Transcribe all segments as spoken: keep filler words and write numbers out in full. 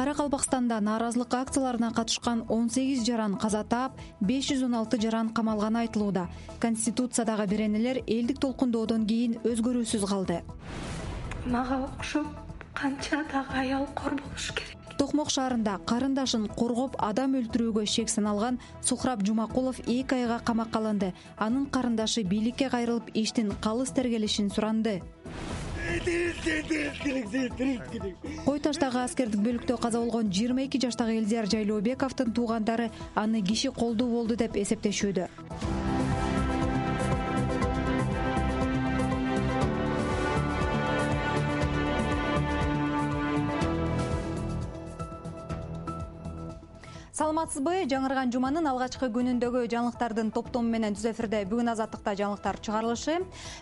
Каракалпакстанда нааразылык акцияларына катышкан он сегиз жаран каза таап, беш жүз он алты жаран камалганы айтылууда. Конституциядагы беренелер элдик толкундоодон кийин өзгөрүүсүз калды. Мага окшоп канча дагы аял кор болуш керек. Токмок шаарында карындашын коргоп адам өлтүрүүгө шек саналган Сухраб Жумакулов эки айга камакка алынды. Анын карындашы бийликке кайрылып иштин калыс тергелишин суранды. Кой Таштагы аскердик бөлүктө каза болгон жыйырма эки жаштагы Элдияр Жайлообековдун туугандары аны киши колдуу болду деп эсептешүүдө. Саламатсызбы? Жаңырган жуманын алгачкы күнүндөгү жаңылыктардын топтому менен түз эфирде бүгүн азаттыкта жаңылыктар чыгарылышы.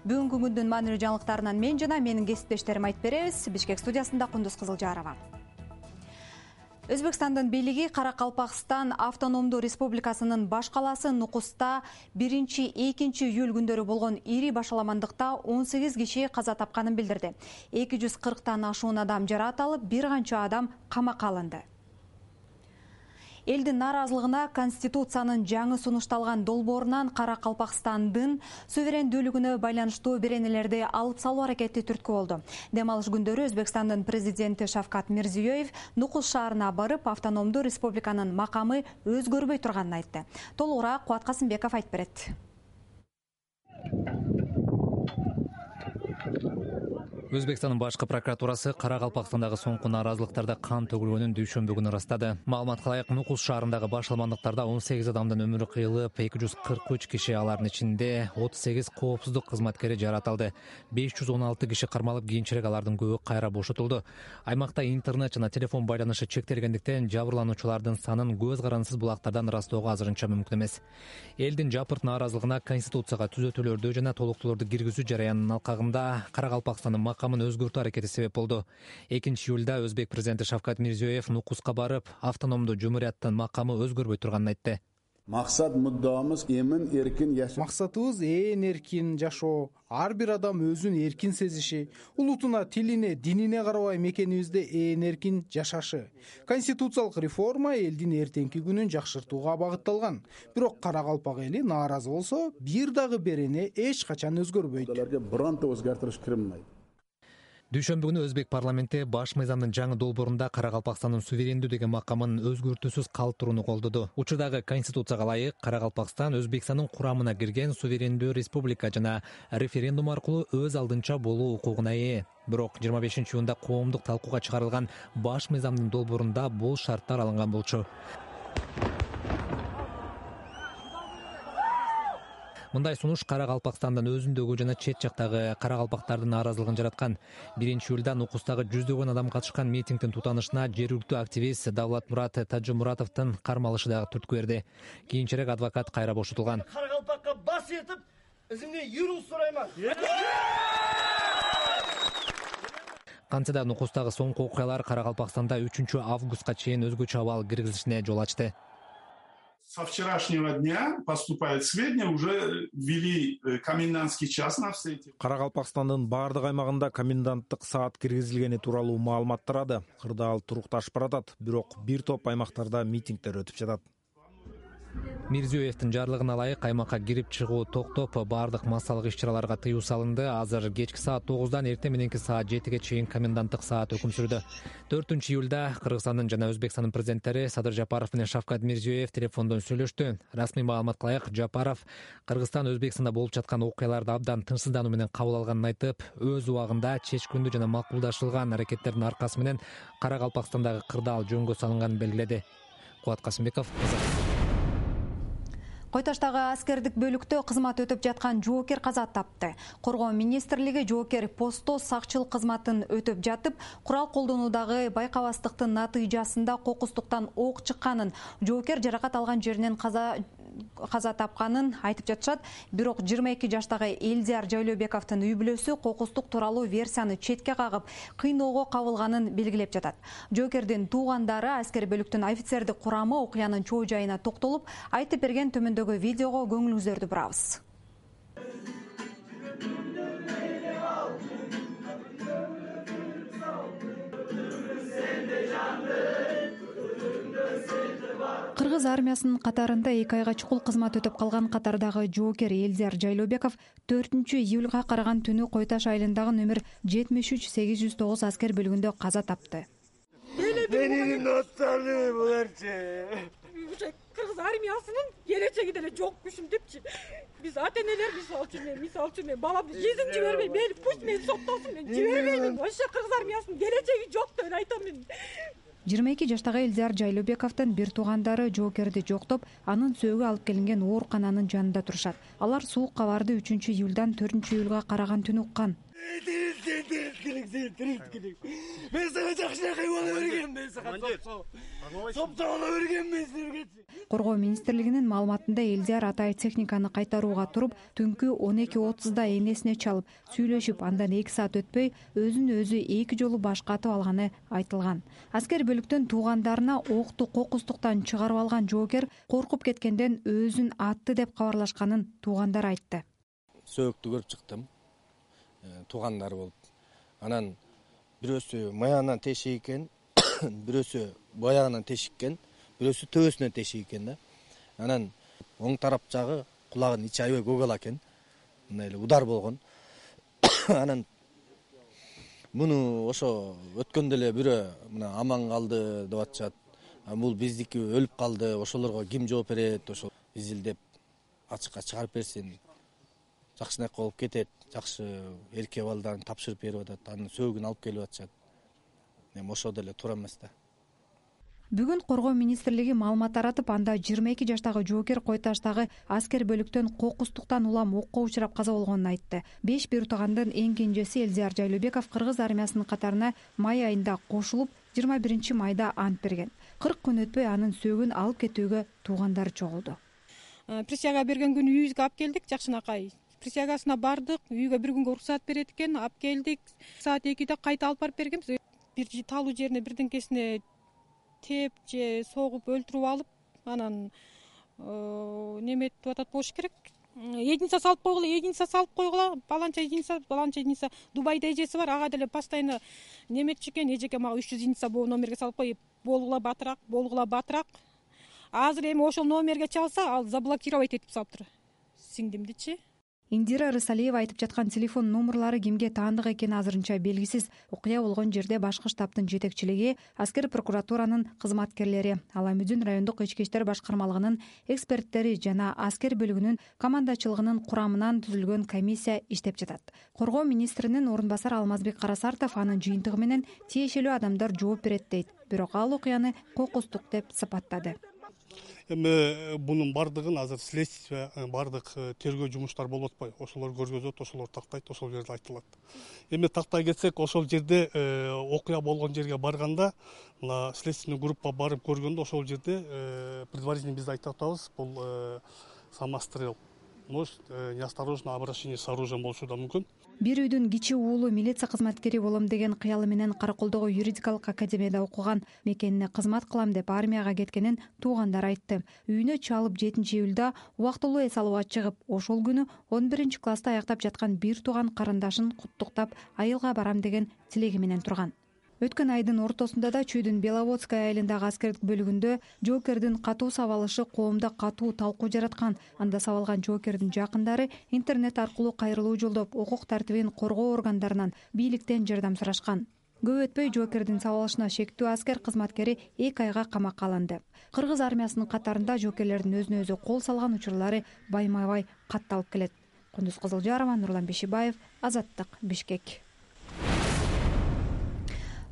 Бүгүнкү күндүн маанилүү жаңылыктарынан мен жана менин кесиптештерим айтып беребиз. Бишкек студиясында Кундуз Кызылжарова. Өзбекстандын бийлиги Каракалпакстан автономдуу республикасынын баш калаасы Нукуста биринчи экинчи июль күндөрү болгон ири башаламандыкта он сегиз киши каза тапканын билдирди. эки жүз кырктан ашуун адам жараат алып, бир канча адам камакка алынды. Элдин нааразылыгына Конституциянын жаңы сунушталган долбоорунан Каракалпакстандын суверендүүлүгүнө байланыштуу беренелерди алып салуу аракети түрткү болду. Дем алыш күндөрү Өзбекстандын президенти Шавкат Мирзиёев Нукус шаарына барып, автономдуу республиканын макамы өзгөрбөй турганын айтты. Толугураак Кубат Касымбеков айтып берет. Өзбекстандын башкы прокуратурасы Каракалпакстандагы соңку нааразылыктарда кан төгүлгөнүн дүйшөмбү күнү ырастады. Маалыматка ылайык, Нукус шаарындагы башаламандыктарда он сегиз адамдын өмүрү кыйылып, эки жүз кырк үч киши, алардын ичинде отуз сегиз коопсуздук кызматкери жараат алды. беш жүз он алты киши кармалып, кийинчерээк алардын көбү кайра бошотулду. Аймакта интернет жана телефон байланышы чектелгендиктен жабырлануучулардын санын көз карандысыз булактардан ырастоого азырынча мүмкүн эмес. Элдин жапырт нааразылыгына Конституцияга түзөтүүлөрдү жана толуктоолорду киргизүү жараянынын алкагында Каракалпакстандын макамын өзгөртүү аракети себеп болду. экинчи июлда Өзбек президенти Шавкат Мирзиёев Нукуска барып, автономдуу жумурияттын макамы өзгөрбөй турганын айтты. Максат муддамыз эмин эркин жашоо. Максатыбыз ээн эркин жашоо, ар бир адам өзүн эркин сезиши, улутуна, тилине, динине карабай мекенибизде ээн эркин жашашы. Конституциялык реформа элдин эртеңки күнүн жакшыртууга багытталган. Бирок Каракалпак эли нааразы болсо, бир дагы берене эч качан өзгөрбөйт. Аларга бирантта өзгөртүш кирмейт. Дүйшөмбү күнү Өзбек парламенти баш мыйзамдын жаңы долбоорунда Каракалпакстандын суверендүү деген макамын өзгөртүүсүз калтырууну колдоду. Учурдагы Конституцияга ылайык Каракалпакстан Өзбекстандын курамына кирген суверендүү республика жана референдум аркылуу өз алдынча болуу укугуна ээ. Бирок жыйырма бешинчи июнда коомдук талкууга чыгарылган баш мыйзамдын долбоорунда бул шарттар алынган болчу. Мындай сунуш Каракалпакстандын өзүндөгү жана чет жактагы каракалпактардын нааразылыгын жараткан. биринчи июлда Нукустагы жүздөгөн адам катышкан митингдин тутанышына жергиликтүү активист Давлатмурат Тажымуратовдун кармалышы дагы түрткү берди. Кийинчерээк адвокат кайра бошотулган. Каракалпакка бас этип, изимден юруу сурайман. Кантсе да Нукустагы соңку окуялар Каракалпакстанда үчүнчү августка чейин өзгөчө абал киргизилишине жол ачты. Со вчерашнего дня поступают сведения, уже ввели комендантский час на все эти. Каракалпакстандын баардык аймагында коменданттык саат киргизилгени тууралуу маалымат тарады. Кырдаал турукташып баратат, бирок бир топ аймактарда митингдер өтүп жатат. Мирзиёевдин жарлыгына ылайык аймакка кирип чыгуу токтоп, баардык массалык иш-чараларга тыюу салынды. Азыр кечки саат тогуздан эртең мененки саат жетиге чейин коменданттык саат өкүм сүрдү. төртүнчү июлда Кыргызстандын жана Өзбекстандын президенттери Садыр Жапаров менен Шавкат Мирзиёев телефондон сүйлөштү. Расмий маалыматка ылайык, Жапаров Кыргызстан Өзбекстанда болуп жаткан окуяларды абдан тынчсыздануу менен кабыл алганын айтып, өз убагында чечкиндүү жана макулдашылган аракеттердин аркасы менен Каракалпакстандагы кырдаал жөнгө салынганын белгиледи. Кубат Касымбеков. Кой Таштагы аскердик бөлүктө кызмат өтүп жаткан жоокер каза тапты. Коргоо министрлиги жоокер постто сакчылык кызматын өтүп жатып, курал колдонуудагы байкабастыктын натыйжасында кокустуктан ок чыкканын, жоокер жаракат алган жеринен каза каза тапканын айтып жатышат. Бирок жыйырма эки жаштагы Элдияр Жайлообековдун үй бүлөсү кокустук тууралуу версияны четке кагып, кыйноого кабылганын белгилеп жатат. Жоокердин туугандары аскер бөлүктүн офицердик курамы окуянын чоо жайына токтолуп, айтып берген төмөндөгү видеого көңүлүңүздөрдү бурабыз. Sen de Кыргыз армиясынын катарында эки айга чукул кызмат өтөп калган катардагы жоокер Элдияр Жайлообеков төртүнчү июлга караган түнү Кой Таш айылындагы номер жетимиш үч сегиз жүз тогуз аскер бөлүгүндө каза тапты. Менин досторум буларчы. Кыргыз армиясынын келечеги деле жок күшүм депчи. Биз ата-энелер мисалы үчүн мен мисалы үчүн мен баламды жизнь жибербейм. Мени пусть мени соттосун, мен жибербеймин. Вообще кыргыз армиясынын келечеги жок деп эле айтам мен. жыйырма эки жаштагы Элдияр Жайлообековдун бир туугандары жоокерди жоктоп, анын сөөгү алып келинген оорукананын жанында турушат. Алар суук кабарды үчүнчү июлдан төртүнчү июлга караган түнү уккан. Мен сага жакшынакай боло бергем, мен сага сопсо боло бергем мен силерге. Коргоо министрлигинин маалыматында Элдияр атай техниканы кайтарууга туруп, түнкү он эки отузда энесине чалып, сүйлөшүп, андан эки саат өтпөй өзүн өзү эки жолу башкатып алганы айтылган. Аскер бөлүктөн туугандарына окту кокустуктан чыгарып алган жоокер коркуп кеткенден өзүн атты деп кабарлашканын туугандар айтты. Сөөктү көрүп чыктым. Туугандар болуп. Анан бирөөсү маягынан тешик экен, бирөөсү баягынан тешик экен, бирөөсү төбөсүнөн тешик экен да. Анан оң тарап жагы кулагынын ичи аябай көгала экен. Мындай эле удар болгон. Анан муну ошо өткөндө эле бирөө мына аман калды деп атышат. Бул биздики өлүп калды, ошолорго ким жооп берет, ошо изилдеп ачыкка чыгарып берсин. Жакшынакай болуп кетет, жакшы эркек балдарын тапшырып берип атат, анын сөөгүн алып келип атышат. Эми ошо деле туура эмес да. Бүгүн Коргоо министрлиги маалымат таратып, анда жыйырма эки жаштагы жоокер Кой Таштагы аскер бөлүктөн кокустуктан улам окко учурап каза болгонун айтты. Беш бир туугандын эң кенжеси Элдияр Жайлообеков кыргыз армиясынын катарына май айында кошулуп, жыйырма биринчи майда ант берген. кырк күн өтпөй анын сөөгүн алып кетүүгө туугандары чогулду. Присяга берген күнү үйүбүзгө алып келдик, жакшынакай. Присягасына бардык, үйгө бир күнгө уруксат берет экен, алып келдик. Саат экиде кайта алып барып бергенбиз. Бир талуу жерине бирдеңкесине теп же согуп өлтүрүп алып, анан неметип атат болуш керек. Единица салып койгула, единица салып койгула, баланча единица, баланча единица. Дубайда эжеси бар, ага деле постоянно неметчи экен, эжеке мага үч жүз единица бул номерге салып кой, болгула батыраак, болгула батыраак. Азыр эми ошол номерге чалса, ал заблокировать этип салыптыр сиңдимдичи. Индира Рысалиева айтып жаткан телефон номерлары кимге таандык экени азырынча белгисиз. Окуя болгон жерде башкы штабтын жетекчилиги, аскер прокуратуранын кызматкерлери, Ала Мүдүн райондук ички иштер башкармалыгынын эксперттери жана аскер бөлүгүнүн командачылыгынын курамынан түзүлгөн комиссия иштеп жатат. Коргоо министринин орун басары Алмазбек Карасартов анын жыйынтыгы менен тиешелүү адамдар жооп берет дейт. Бирок ал окуяны кокустук деп сыпаттады. Эми бунун бардыгын азыр следствие, бардык тергөө жумуштары болуп атпайбы? Ошолор көргөзөт, ошолор тактайт, ошол жерде айтылат. Эми тактай кетсек, ошол жерде окуя болгон жерге барганда, мына следственный группа барып көргөндө ошол жерде предварительно биз айтып атабыз, бул самострел. Может, неосторожное обращение с оружием болушу да мүмкүн. Бир үйдүн кичи уулу милиция кызматкери болом деген кыялы менен Караколдогу юридикалык академияда окуган, мекенине кызмат кылам деп армияга кеткенин туугандар айтты. Үйүнө чалып жетинчи июлда убактылуу эс алууга чыгып, ошол күнү он биринчи класста аяктап жаткан бир тууган карындашын куттуктап, айылга барам деген тилеги менен турган. Өткөн айдын ортосунда да Чүйдүн Беловодская айылындагы аскердик бөлүгүндө жоокердин катуу сабалышы коомдо катуу талкуу жараткан. Анда сабалган жоокердин жакындары интернет аркылуу кайрылуу жолдоп, укук тартибин коргоо органдарынан, бийликтен жардам сурашкан. Көп өтпөй жоокердин сабалышына шектүү аскер кызматкери эки айга камакка алынды. Кыргыз армиясынын катарында жоокерлердин өзүнө өзү кол салган учурлары байма-бай катталып келет. Кундуз Кызылжарова, Нурлан Бешибаев, Азаттык, Бишкек.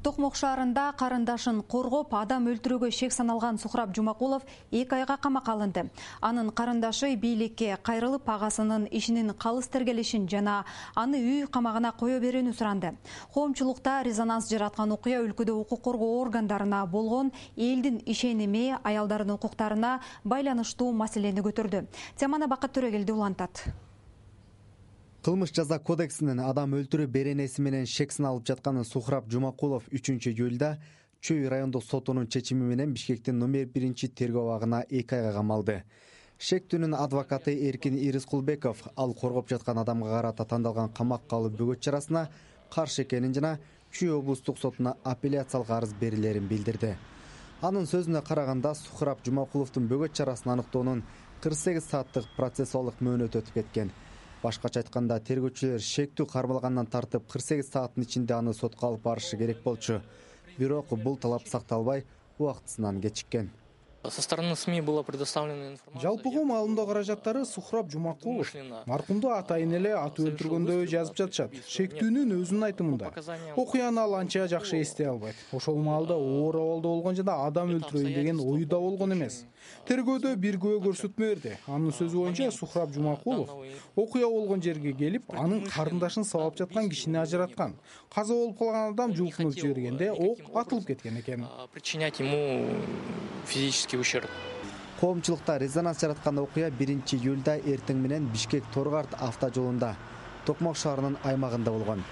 Токмок шаарында карындашын коргоп, адам өлтүрүүгө шек саналган Сухраб Жумакулов эки айга камакка алынды. Анын карындашы бийликке кайрылып, агасынын ишинин калыс тергелишин жана аны үй камагына кое берүүнү суранды. Коомчулукта резонанс жараткан окуя өлкөдө укук коргоо органдарына болгон элдин ишеними, аялдардын укуктарына байланыштуу маселени көтөрдү. Теманы Бакыт Төрөгелди улантат. Кылмыш жаза кодексинин адам өлтүрүү беренеси менен шек саналып жаткан Сухраб Жумакулов үчүнчү июлда Чүй райондук сотунун чечими менен Бишкектин номер биринчи тергөө абагына эки айга камалды. Шектүүнүн адвокаты Эркин Ирискулбеков ал коргоп жаткан адамга карата тандалган камакка алуу бөгөт чарасына каршы экенин жана Чүй облустук сотуна апелляциялык арыз берилерин билдирди. Анын сөзүнө караганда Сухраб Жумакуловдун бөгөт чарасын аныктоонун кырк сегиз сааттык процессуалдык мөөнөтү өтүп кеткен. Башкача айтканда, тергөөчүлөр шектүү кармалгандан тартып кырк сегиз сааттын ичинде аны сотко алып барышы керек болчу. Бирок бул талап сакталбай, убактысынан кечиккен. Со стороны СМИ была предоставлена информация. Жалпыга маалымдоо каражаттары Сухраб Жумакулов маркумду атайын эле атып өлтүргөндөй жазып жатышат. Шектүүнүн өзүнүн айтымында. Окуяны ал анча жакшы эстей албайт. Ошол маалда оор абалда болгон жана адам өлтүрөйүн деген оюда болгон эмес. Тергөөдө бир күбө көрсөтмө берди. Анын сөзү боюнча Сухраб Жумакулов окуя болгон жерге келип, анын карындашын сабап жаткан кишини ажыраткан. Каза болуп калган адам жулкунуп жибергенде ок атылып кеткен экен. Причинять ему физический ущерб. Коомчулукта резонанс жараткан окуя биринчи июлда эртең менен Бишкек-Торгарт автожолунда Токмок шаарынын аймагында болгон.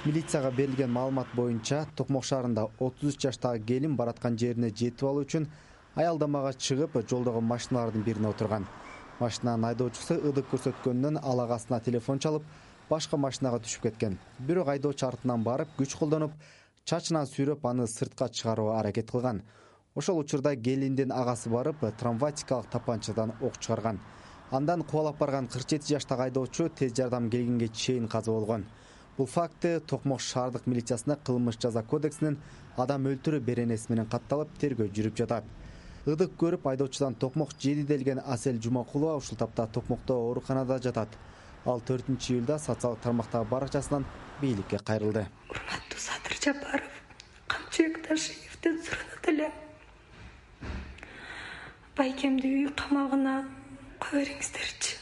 Милицияга берилген маалымат боюнча, Токмок шаарында отуз үч жаштагы келин бараткан жерине жетип алуу үчүн аялдамага чыгып, жолдогу машиналардын бирине отурган. Машинанын айдоочусу ыдык көрсөткөнүнөн ал агасына телефон чалып, башка машинага түшүп кеткен. Бирок айдоочу артынан барып, күч колдонуп, чачынан сүйрөп аны сыртка чыгарууга аракет кылган. Ошол учурда келиндин агасы барып, травматикалык тапанчадан ок чыгарган. Андан кубалап барган кырк жети жаштагы айдоочу тез жардам келгенге чейин каза болгон. Бул факты Токмок шаардык милициясына кылмыш жаза кодексинин адам өлтүрүү беренеси менен катталып, тергөө жүрүп жатат. Ыдык көрүп айдоочудан Токмок жеди делген Асель Жумакулова ушул тапта Токмокто ооруканада жатат. Ал төртүнчү июлда социалдык тармактагы баракчасынан бийликке кайрылды. Урматтуу Садыр Жапаров, Камчыбек Ташиевден суранат элем. Байкемди үй камагына кое бериңиздерчи.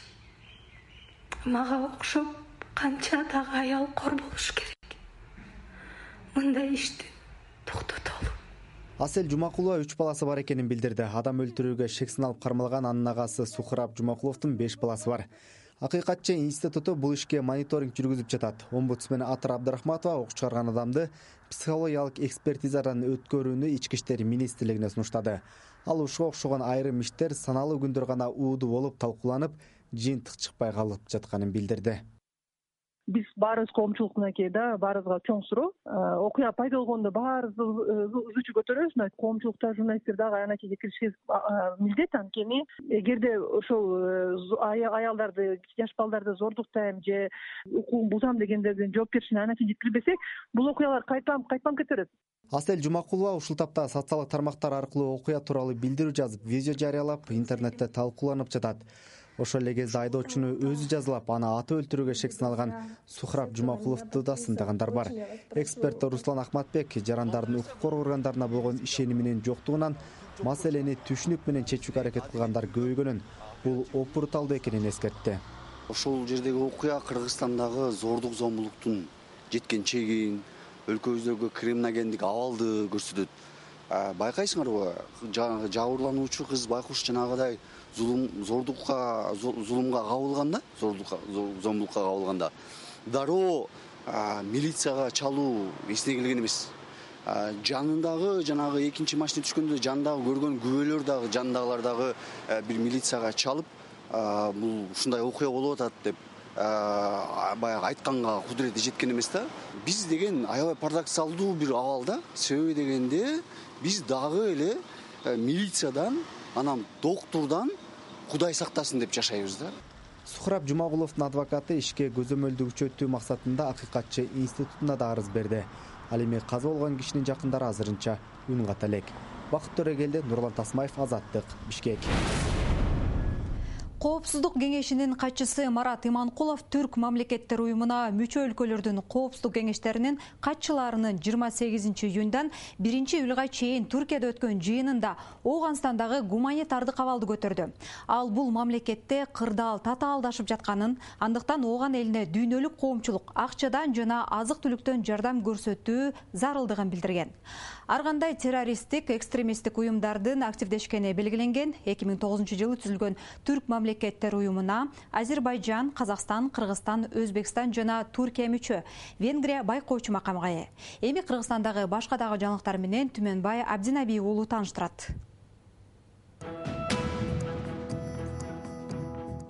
Мага окшоп канча дагы аял кор болуш керек. Мындай ишти токтотолу. Асель Жумакулова үч баласы бар экенин билдирди. Адам өлтүрүүгө шек сыналып кармалган анын агасы Сухраб Жумакуловдун беш баласы бар. Акыйкатчы институту бул ишке мониторинг жүргүзүп жатат. Омбудсмен Атыр Абдрахматова ок чыгарган адамды психологиялык экспертизадан өткөрүүнү Ички иштер министрлигине сунуштады. Ал ушуга окшогон айрым иштер саналуу күндөр гана ууду болуп талкууланып, жыйынтык чыкпай калып жатканын билдирди. Биз баарыбыз коомчулук мынакей да, баарыбызга чоң суроо. Окуя пайда болгондо баарыбыз үзүүчү көтөрөбүз, мына коомчулукта журналисттер дагы анакейге кириши милдет. Анткени эгерде ошол аялдарды, жаш балдарды зордуктайм же укугун бузам дегендердин жоопкерчилигине анакей жеткирбесек, бул окуялар кайталанып кайталанып кетерет. Асель Жумакулова ушул тапта социалдык тармактар аркылуу окуя тууралуу билдирүү жазып, видео жарыялап, интернетте талкууланып жатат. Ошол эле кезде айдоочуну өзү жазалап, аны атып өлтүрүүгө шек сыналган Сухраб Жумакуловду да сындагандар бар. Эксперт Руслан Ахматбек жарандардын укук коргоо органдарына болгон ишениминин жоктугунан маселени түшүнүк менен чечүүгө аракет кылгандар көбөйгөнүн, бул опурталдуу экенин эскертти. Ошол жердеги окуя Кыргызстандагы зордук зомбулуктун жеткен чегин, өлкөбүздөгү криминогендик абалды көрсөтөт. Байкайсыңарбы, жанагы жабырлануучу кыз байкуш жанагыдай зулум зордукка зулумга кабылганда, зордукка зомбулукка кабылганда дароо милицияга чалуу эсине келген эмес. Жанындагы жанагы экинчи машина түшкөндө жанындагы көргөн күбөлөр дагы жанындагылар дагы бир милицияга чалып, бул ушундай окуя болуп атат деп баягы айтканга кудурети жеткен эмес да. Биз деген аябай парадоксалдуу бир абалда, себеби дегенде биз дагы эле милициядан, анан доктурдан Кудай сактасын деп жашайбыз да. Сухраб Жумакуловдун адвокаты ишке көзөмөлдү күчөтүү максатында Акыйкатчы институтуна да арыз берди. Ал эми каза болгон кишинин жакындары азырынча үн ката элек. Бакыт Төрөгелди, Нурлан Тасмаев, Азаттык, Бишкек. Коопсуздук кеңешинин катчысы Марат Иманкулов Түрк мамлекеттер уюмуна мүчө өлкөлөрдүн коопсуздук кеңештеринин катчыларынын жыйырма сегизинчи июндан биринчи июлга чейин Түркияда өткөн жыйынында Ооганстандагы гуманитардык абалды көтөрдү. Ал бул мамлекетте кырдаал татаалдашып жатканын, андыктан Ооган элине дүйнөлүк коомчулук акчадан жана азык-түлүктөн жардам көрсөтүү зарылдыгын билдирген. Ар кандай террористтик, экстремисттик уюмдардын активдешкени белгиленген. эки миң тогузунчу жылы түзүлгөн Түрк мамлекеттер уюмуна Азербайжан, Казакстан, Кыргызстан, Өзбекстан жана Туркия мүчө. Венгрия байкоочу макамга ээ. Эми Кыргызстандагы башка дагы жаңылыктар менен Түмөнбай Абдинаби уулу тааныштырат.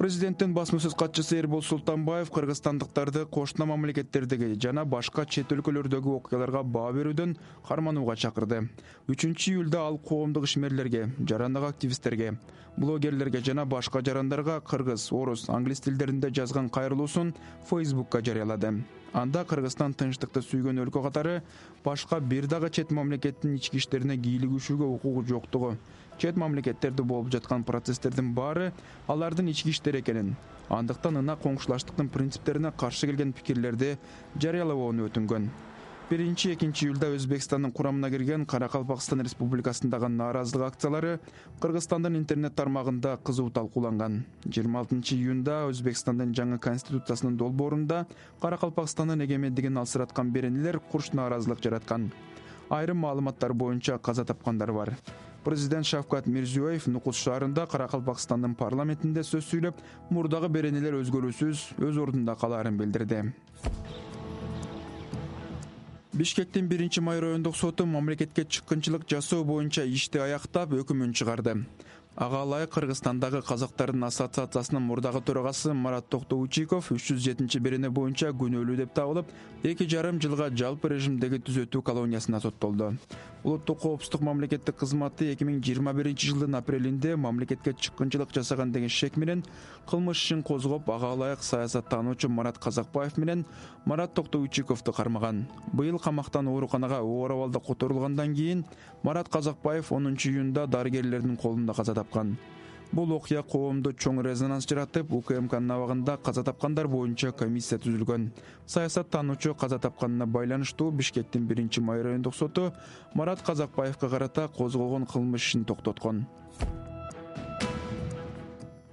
Президенттин басма сөз катчысы Эрбол Султанбаев кыргызстандыктарды кошуна мамлекеттердеги жана башка чет өлкөлөрдөгү окуяларга баа берүүдөн карманууга чакырды. үчүнчү июлда ал коомдук ишмерлерге, жарандык активисттерге, блогерлерге жана башка жарандарга кыргыз, орус, англис тилдеринде жазган кайрылуусун Фейсбукка жарыялады. Анда Кыргызстан тынчтыкты сүйгөн өлкө катары башка бир дагы чет мамлекеттин ички иштерине кийлигишүүгө укугу жоктугу, чет мамлекеттерде болуп жаткан процесстердин баары алардын ички иштери экенин, андыктан ынак коңшулаштыктын принциптерине каршы келген пикирлерди жарыялабоону өтүнгөн. биринчи экинчи июлда Өзбекстандын курамына кирген Каракалпакстан Республикасындагы нааразылык акциялары Кыргызстандын интернет тармагында кызуу талкууланган. жыйырма алтынчы июнда Өзбекстандын жаңы конституциясынын долбоорунда Каракалпакстандын эгемендигин алсыраткан беренелер курч нааразылык жараткан. Айрым маалыматтар боюнча каза тапкандар бар. Президент Шавкат Мирзиёев Нукус шаарында Каракалпакстандын парламентинде сөз сүйлөп, мурдагы беренелер өзгөрүүсүз өз ордунда калаарын билдирди. Бишкектин биринчи май райондук соту мамлекетке чыккынчылык жасоо боюнча ишти аяктап өкүмүн чыгарды. Ага ылайык Кыргызстандагы казактардын ассоциациясынын мурдагы төрагасы Марат Токтоучиков үч жүз жетинчи берене боюнча күнөөлүү деп табылып, эки жарым жылга жалпы режимдеги түзөтүү колониясына соттолду. Улуттук коопсуздук мамлекеттик кызматы эки миң жыйырма биринчи жылдын апрелинде мамлекетке чыккынчылык жасаган деген шек менен кылмыш ишин козгоп, ага ылайык саясаттануучу Марат Казакбаев менен Марат Токтоучиковду кармаган. Быйыл камактан ооруканага оор абалда которулгандан кийин Марат Казакбаев онунчу июнда дарыгерлердин колунда каза тапкан. Бул окуя коомдо чоң резонанс жаратып, УКМКнын абагында каза тапкандар боюнча комиссия түзүлгөн. Саясаттануучу каза тапканына байланыштуу Бишкектин биринчи май райондук соту Марат Казакбаевга карата козголгон кылмыш ишин токтоткон.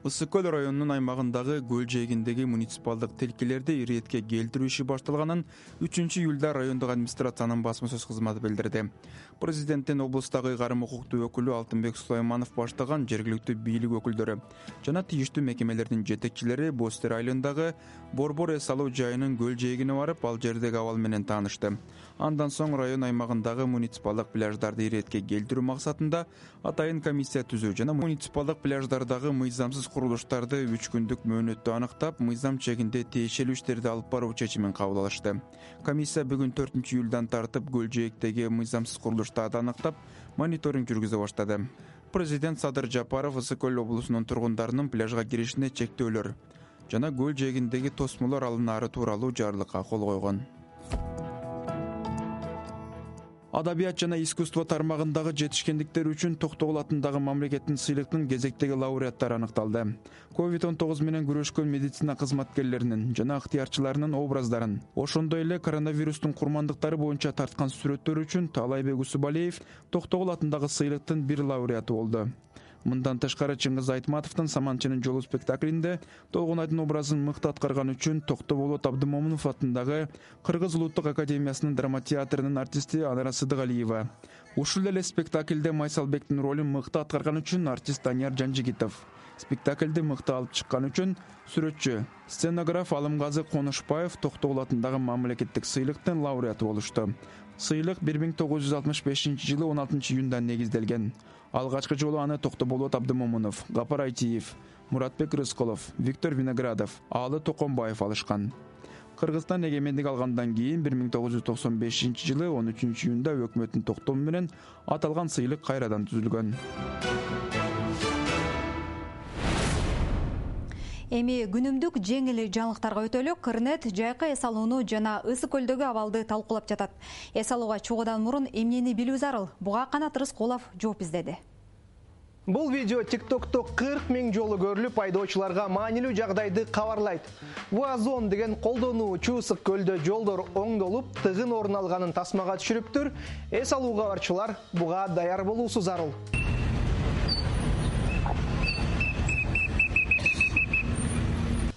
Ысык көл районунун аймагындагы көл жээгиндеги муниципалдык тилкелерди иретке келтирүү иши башталганын үчүнчү июлда райондук администрациянын басма сөз кызматы билдирди. Президенттин облустагы ыйгарым укуктуу өкүлү Алтынбек Сулайманов баштаган жергиликтүү бийлик өкүлдөрү жана тийиштүү мекемелердин жетекчилери Бостер айылындагы Борбор эс алуу жайынын көл жээгине барып, ал жердеги абал менен таанышты. Андан соң район аймагындагы муниципалдык пляждарды иретке келтирүү максатында атайын комиссия түзүү жана муниципалдык пляждардагы мыйзамсыз курулуштарды үч күндүк мөөнөттө аныктап, мыйзам чегинде тиешелүү иштерди алып баруу чечимин кабыл алышты. Комиссия бүгүн төртүнчү июлдан тартып көл жээктеги мыйзамсыз курулуштарды аныктап, мониторинг жүргүзө баштады. Президент Садыр Жапаров Ысык көл облусунун тургундарынын пляжга киришине чектөөлөр жана көл жээгиндеги тосмолор алынаары тууралуу жарлыкка кол койгон. Адабият жана искусство тармагындагы жетишкендиктер үчүн Токтогул атындагы мамлекеттин сыйлыктын кезектеги лауреаттары аныкталды. ковид он тогуз менен күрөшкөн медицина кызматкерлеринин жана ыктыярчыларынын образдарын, ошондой эле коронавирустун курмандыктары боюнча тарткан сүрөттөр үчүн Таалайбек Усубалиев Токтогул атындагы сыйлыктын бир лауреаты болду. Мындан тышкары Чыңгыз Айтматовдун Саманчынын жолу спектаклинде Толгонайдын образын мыкты аткарган үчүн Токтоболот Абдымомунов атындагы Кыргыз улуттук академиясынын драма театрынын артисти Анара Сыдыгалиева. Ушул эле спектакльде Майсалбектин ролун мыкты аткарган үчүн артист Данияр Жанжигитов. Спектакльди мыкты алып чыккан үчүн сүрөтчү, сценограф Алымгазы Конушбаев Токтогул атындагы мамлекеттик сыйлыктын лауреаты болушту. Сыйлык бир миң тогуз жүз алтымыш бешинчи жылы он алтынчы июнда негизделген. Алгачкы жолу аны Токтоболот Абдымомунов, Гапар Айтиев, Муратбек Рысколов, Виктор Виноградов, Аалы Токомбаев алышкан. Кыргызстан эгемендик алгандан кийин бир миң тогуз жүз токсон бешинчи жылы он үчүнчү июнда өкмөттүн токтому менен аталган сыйлык кайрадан түзүлгөн. Эми күнүмдүк жеңил жаңылыктарга өтөлү. Кырнет жайкы эс алууну жана Ысык көлдөгү абалды талкуулап жатат. Эс алууга чыгуудан мурун эмнени билүү зарыл? Буга Канат Рыскулов жооп издеди. Бул видео TikTok'то кырк миң жолу көрүлүп, айдоочуларга маанилүү жагдайды кабарлайт. Вуазон деген колдонуучу Ысык көлдө жолдор оңдолуп, тыгын орун алганын тасмага түшүрүптүр. Эс алууга барчылар буга даяр болуусу зарыл.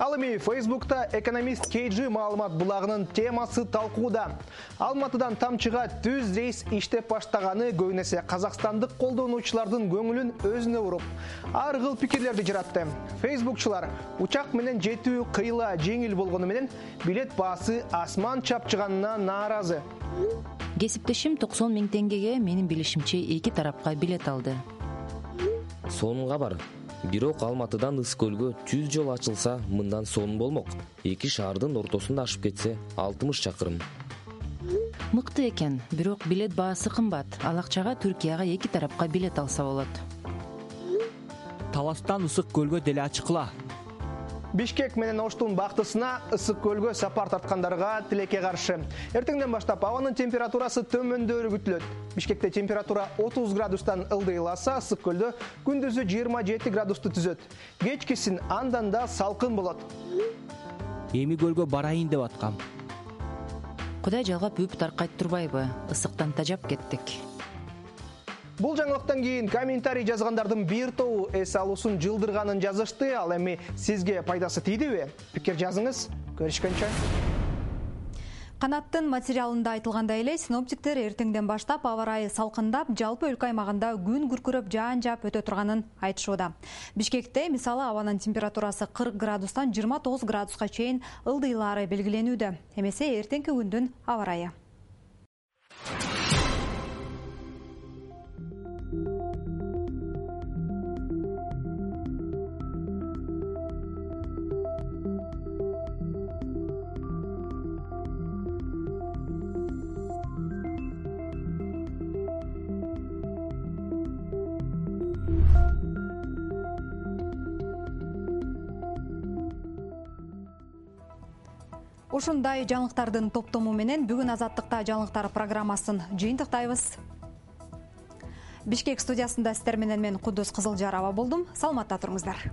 Ал эми Facebook'та экономист Кейджи маалымат булагынын темасы талкууда. Алматыдан тамчыга түз рейс иштеп баштаганы көбүнесе казакстандык колдонуучулардын көңүлүн өзүнө буруп, ар кыл пикирлерди жаратты. Facebookчулар учак менен жетүү кыйла жеңил болгону менен билет баасы асман чапчыганына нааразы. Кесиптешим токсон миң теңгеге менин билишимче эки тарапка билет алды. Сонунга бар. Бирок Алматыдан Ыс көлгө түз жол ачылса, мындан сонун болмок. Эки шаардын ортосунда ашып кетсе, алтымыш чакырым. Мыкты экен, бирок билет баасы кымбат. Ал акчага Түркияга эки тарапка билет алса болот. Таластан Ысык көлгө деле ачыкла. Бишкек менен Оштун бактысына Ысык көлгө сапар тарткандарга тилекке каршы. Эртеңден баштап абанын температурасы төмөндөрү күтүлөт. Бишкекте температура отуз градустан ылдыйласа, Ысык көлдө күндүзү жыйырма жети градусту түзөт. Кечкисин андан да салкын болот. Эми көлгө барайын деп аткам. Кудай жалгап үп таркайт турбайбы? Ысыктан тажап кеттик. Бул жаңылыктан кийин комментарий жазгандардын бир тобу эс алуусун жылдырганын жазышты. Ал эми сизге пайдасы тийдиби? Пикир жазыңыз. Көрүшкөнчө. Канаттын материалында айтылгандай эле, синоптиктер эртеңден баштап аба ырайы салкындап, жалпы өлкө аймагында күн күркүрөп жаан жаап өтө турганын айтышууда. Бишкекте мисалы абанын температурасы кырк градустан жыйырма тогуз градуска чейин ылдыйлаары белгиленүүдө. Эмесе эртеңки күндүн аба ырайы. Ушундай жаңылыктардын топтому менен бүгүн Азаттыкта жаңылыктар программасын жыйынтыктайбыз. Бишкек студиясында сиздер менен мен Кудус Кызылжарова болдум. Саламатта туруңуздар.